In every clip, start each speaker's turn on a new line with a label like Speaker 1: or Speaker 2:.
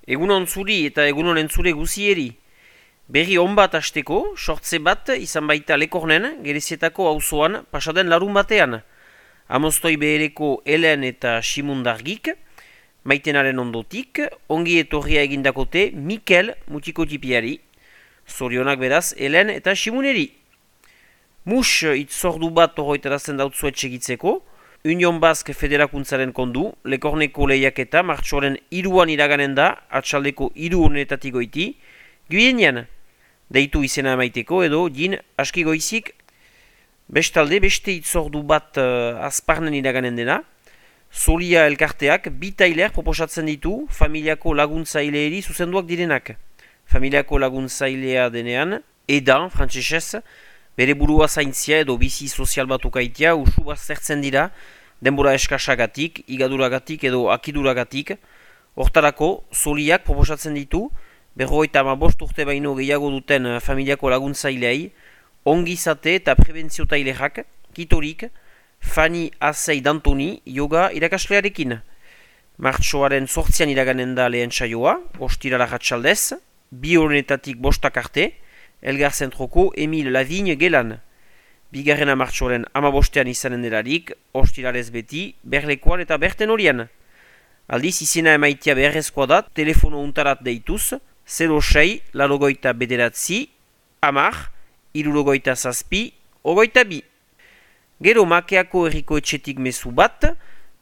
Speaker 1: Egunon zuri eta egunon entzule guzieri. Berri on bat hasteko, sortze bat izan baita Lekornen, Gerezietako auzoan pasaden larun batean. Amostoi behereko Helen eta Simundargik, maitenaren ondotik, ongi etorria egindakote Mikel mutikotipiari. Zorionak beraz Helen eta Simuneri. Mus itzordu bat horretarazen dautzuet segitzeko, Union Basque Federakuntzaren kondu, Lekorneko lehiaketa martxoaren 3an iraganen da, atxaldeko 3 honetatik goiti, Guienean, deitu izena emaiteko edo din aski goizik, bestalde beste itzordu bat azparnen iraganen dena, Solia elkarteak bi tailer proposatzen ditu familiako laguntzaileeri zuzenduak direnak. Familiako laguntzailea denean, edan, frantsesez, bere burua zaintzia edo bizi sozial bat ukaitea usu baztertzen dira, denbora eskasagatik, igaduragatik edo akiduragatik. Hortarako, Soliak proposatzen ditu, 55 urte baino gehiago duten familiako laguntzailei, ongizate eta prebentzio tailerak, kitorik, Fanny Azei Dantoni yoga irakaslearekin. Martxoaren 8an iraganen da lehen saioa, ostirala ratxaldez, 2 honetatik 5 arte, Elgar Zentroko Emil Lavigne gelan. Bigarrena martxoaren 15an izanen delarik, ostiralez beti, berlekoan eta berten horian. Aldiz izena emaitia beharrezkoa da, telefono untarat deituz, 06 larogoita bederatzi, amar, irurogoita zazpi, ogoita bi. Gero Makeako herriko etxetik mezu bat,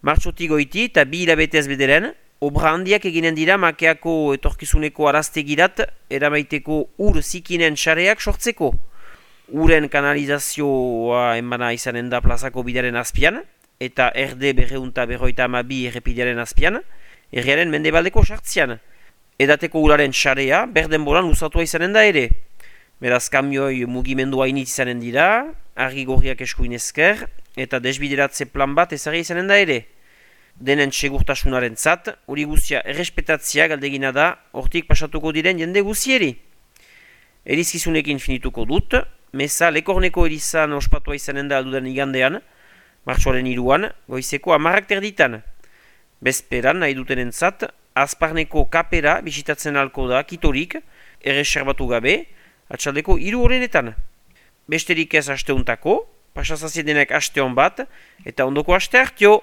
Speaker 1: martxotik goiti eta 2 hilabetez bederen, obra handiak eginen dira Makeako etorkizuneko araztegirat eramaiteko ur zikinen xareak sortzeko. Uren kanalizazioa enbana izanen da plazako bidaren azpian, eta erde 252 errepidearen azpian, herriaren mendebaldeko sartzian. Edateko uraren xarea berdenboran luzatua izanen da ere. Beraz kamioi mugimendua init izanen dira, argi gorriak eskuin esker, eta desbideratze plan bat ezarri izanen da ere. Denen segurtasunaren zat, hori guztia errespetatzia galdegina da, hortik pasatuko diren jende guzieri. Erizkizunekin finituko dut, meza Lekorneko erizan ospatua izanen da aldudan igandean, martxoaren 3an, goizeko 10 terditan. Bezperan nahi dutenen zat, azparneko kapera bisitatzen alko da kitorik, erreserbatu gabe, atxaldeko 3 horretan. Besterik ez asteuntako, pasazaziedenek asteon bat, eta ondoko aste hartio!